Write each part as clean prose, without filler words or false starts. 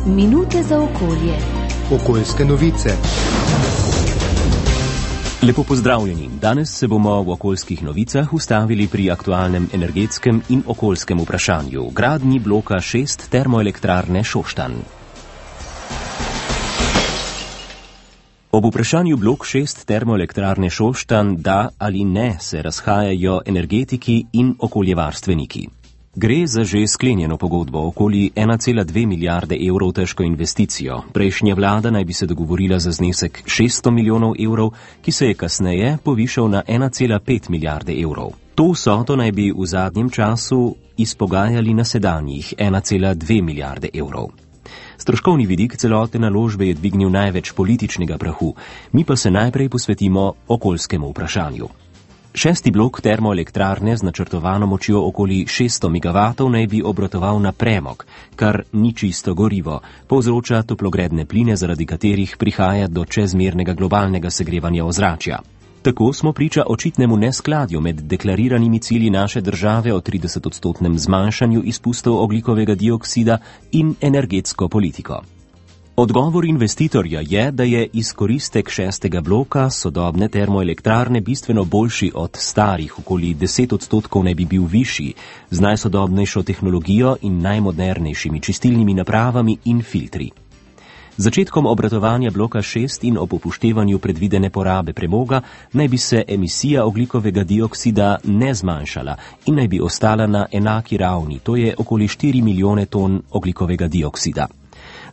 Minute za okolje. Okoljske novice. Lepo pozdravljeni. Danes se bomo v okoljskih novicah ustavili pri aktualnem energetskem in okoljskem vprašanju, gradnji bloka 6 termoelektrarne Šoštanj. Ob vprašanju blok 6 termoelektrarne Šoštanj da ali ne se razhajajo energetiki in okoljevarstveniki. Gre za že sklenjeno pogodbo okoli 1,2 milijarde evrov težko investicijo. Prejšnja vlada naj bi se dogovorila za znesek 600 milijonov evrov, ki se je kasneje povišal na 1,5 milijarde evrov. To vsoto naj bi v zadnjem času izpogajali na sedanjih 1,2 milijarde evrov. Stroškovni vidik celotne naložbe je dvignil največ političnega prahu, mi pa se najprej posvetimo okoljskemu vprašanju. 6. blok termoelektrarne z načrtovano močjo okoli 600 MW naj bi obratoval na premog, kar ni čisto gorivo, povzroča toplogredne pline, zaradi katerih prihaja do čezmernega globalnega segrevanja ozračja. Tako smo priča očitnemu neskladju med deklariranimi cilji naše države o 30-odstotnem zmanjšanju izpustov ogljikovega dioksida in energetsko politiko. Odgovor investitorja je, da je izkoristek 6. bloka sodobne termoelektrarne bistveno boljši od starih, okoli 10 odstotkov naj bi bil višji, z najsodobnejšo tehnologijo in najmodernejšimi čistilnimi napravami in filtri. Z začetkom obratovanja bloka 6 in ob upoštevanju predvidene porabe premoga naj bi se emisija ogljikovega dioksida ne zmanjšala in naj bi ostala na enaki ravni, to je okoli 4 milijone ton ogljikovega dioksida.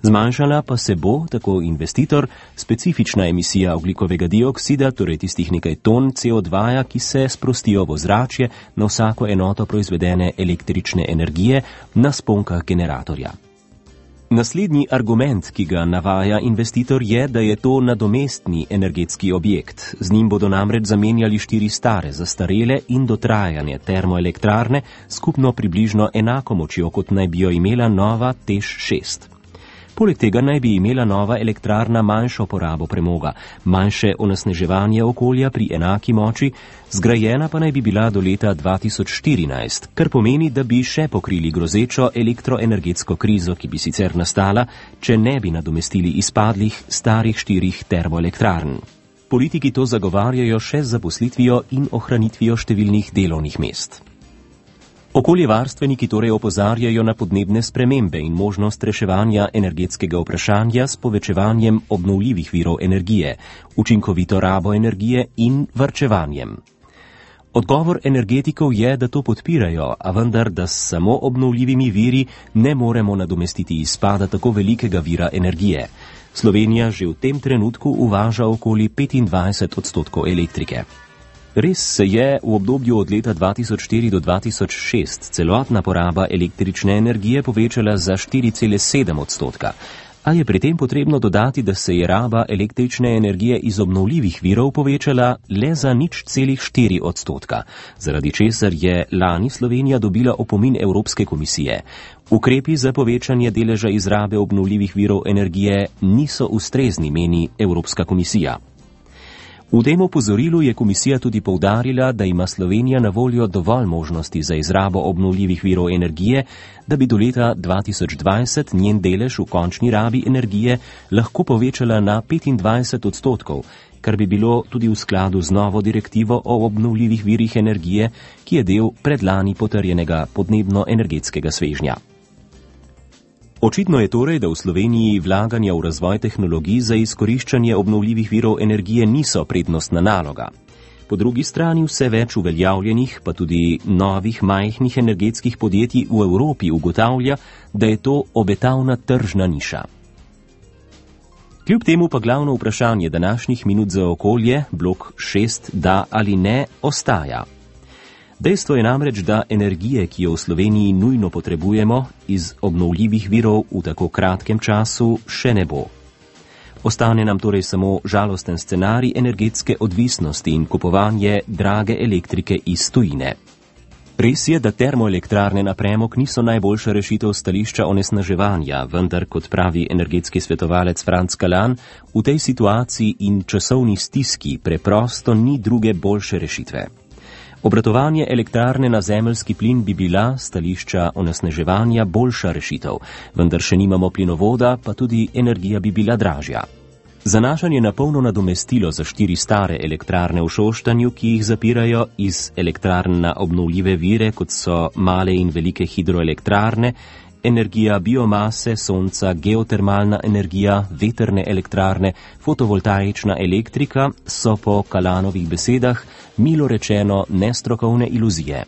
Zmanjšala pa se bo, tako investitor, specifična emisija ogljikovega dioksida, torej tistih nekaj ton CO2, ki se sprostijo v ozračje na vsako enoto proizvedene električne energije na sponkah generatorja. Naslednji argument, ki ga navaja investitor, je, da je to nadomestni energetski objekt. Z njim bodo namreč zamenjali 4 stare, zastarele in dotrajane termoelektrarne, skupno približno enako močjo, kot naj bi jo imela nova TEŠ 6. Poleg tega naj bi imela nova elektrarna manjšo porabo premoga, manjše onesnaževanje okolja pri enaki moči, zgrajena pa naj bi bila do leta 2014, kar pomeni, da bi še pokrili grozečo elektroenergetsko krizo, ki bi sicer nastala, če ne bi nadomestili izpadlih starih 4 termoelektrarn. Politiki to zagovarjajo še z zaposlitvijo in ohranitvijo številnih delovnih mest. Okoljevarstveniki torej opozarjajo na podnebne spremembe in možnost reševanja energetskega vprašanja s povečevanjem obnovljivih virov energije, učinkovito rabo energije in varčevanjem. Odgovor energetikov je, da to podpirajo, a vendar, da s samo obnovljivimi viri ne moremo nadomestiti izpada tako velikega vira energije. Slovenija že v tem trenutku uvaža okoli 25 odstotkov elektrike. Res se je v obdobju od leta 2004 do 2006 celotna poraba električne energije povečala za 4,7 odstotka, a je pri tem potrebno dodati, da se je raba električne energije iz obnovljivih virov povečala le za 0,4 odstotka, zaradi česar je lani Slovenija dobila opomin Evropske komisije. Ukrepi za povečanje deleža izrabe obnovljivih virov energije niso ustrezni, meni Evropska komisija. V tem opozorilu je komisija tudi poudarila, da ima Slovenija na voljo dovolj možnosti za izrabo obnovljivih virov energije, da bi do leta 2020 njen delež v končni rabi energije lahko povečala na 25 odstotkov, kar bi bilo tudi v skladu z novo direktivo o obnovljivih virih energije, ki je del predlani potrjenega podnebno-energetskega svežnja. Očitno je torej, da v Sloveniji vlaganja v razvoj tehnologij za izkoriščanje obnovljivih virov energije niso prednostna naloga. Po drugi strani vse več uveljavljenih, pa tudi novih majhnih energetskih podjetij v Evropi ugotavlja, da je to obetavna tržna niša. Kljub temu pa glavno vprašanje današnjih minut za okolje, blok 6, da ali ne, ostaja. Dejstvo je namreč, da energije, ki jo v Sloveniji nujno potrebujemo, iz obnovljivih virov v tako kratkem času še ne bo. Ostane nam torej samo žalosten scenarij energetske odvisnosti in kupovanje drage elektrike iz tujine. Res je, da termoelektrarne na premog niso najboljša rešitev stališča onesnaževanja, vendar, kot pravi energetski svetovalec Franc Kalan, v tej situaciji in časovni stiski preprosto ni druge boljše rešitve. Obratovanje elektrarne na zemeljski plin bi bila s stališča onesnaževanja boljša rešitev, vendar še nimamo plinovoda, pa tudi energija bi bila dražja. Zanašanje na polno nadomestilo za 4 stare elektrarne v Šoštanju, ki jih zapirajo iz elektrarn na obnovljive vire, kot so male in velike hidroelektrarne, energija biomase, sonca, geotermalna energija, veterne elektrarne, fotovoltaična elektrika, so po Kalanovih besedah milo rečeno nestrokovne iluzije.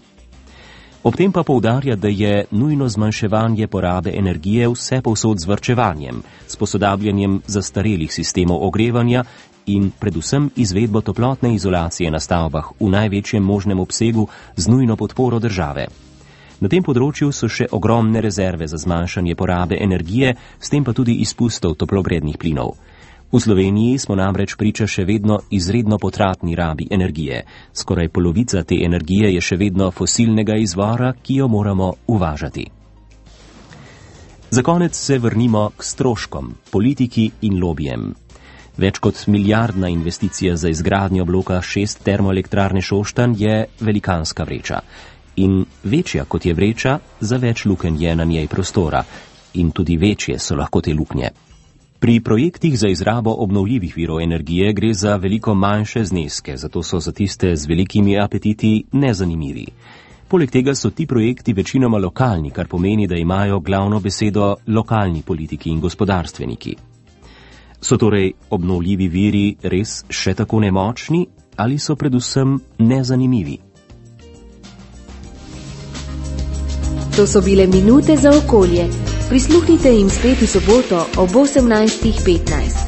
Ob tem pa poudarja, da je nujno zmanjševanje porabe energije vse povsod z varčevanjem, s posodabljanjem zastarelih sistemov ogrevanja in predvsem izvedbo toplotne izolacije na stavbah v največjem možnem obsegu z nujno podporo države. Na tem področju so še ogromne rezerve za zmanjšanje porabe energije, s tem pa tudi izpustov toplogrednih plinov. V Sloveniji smo namreč priča še vedno izredno potratni rabi energije. Skoraj polovica te energije je še vedno fosilnega izvora, ki jo moramo uvažati. Za konec se vrnimo k stroškom, politiki in lobijem. Več kot milijardna investicija za izgradnjo bloka 6 termoelektrarne Šoštanj je velikanska vreča. In večja kot je vreča, za več lukenj je na njej prostora. In tudi večje so lahko te luknje. Pri projektih za izrabo obnovljivih virov energije gre za veliko manjše zneske, zato so za tiste z velikimi apetiti nezanimivi. Poleg tega so ti projekti večinoma lokalni, kar pomeni, da imajo glavno besedo lokalni politiki in gospodarstveniki. So torej obnovljivi viri res še tako nemočni ali so predvsem nezanimivi? To so bile minute za okolje. Prisluhnite jim spet v soboto ob 18:15.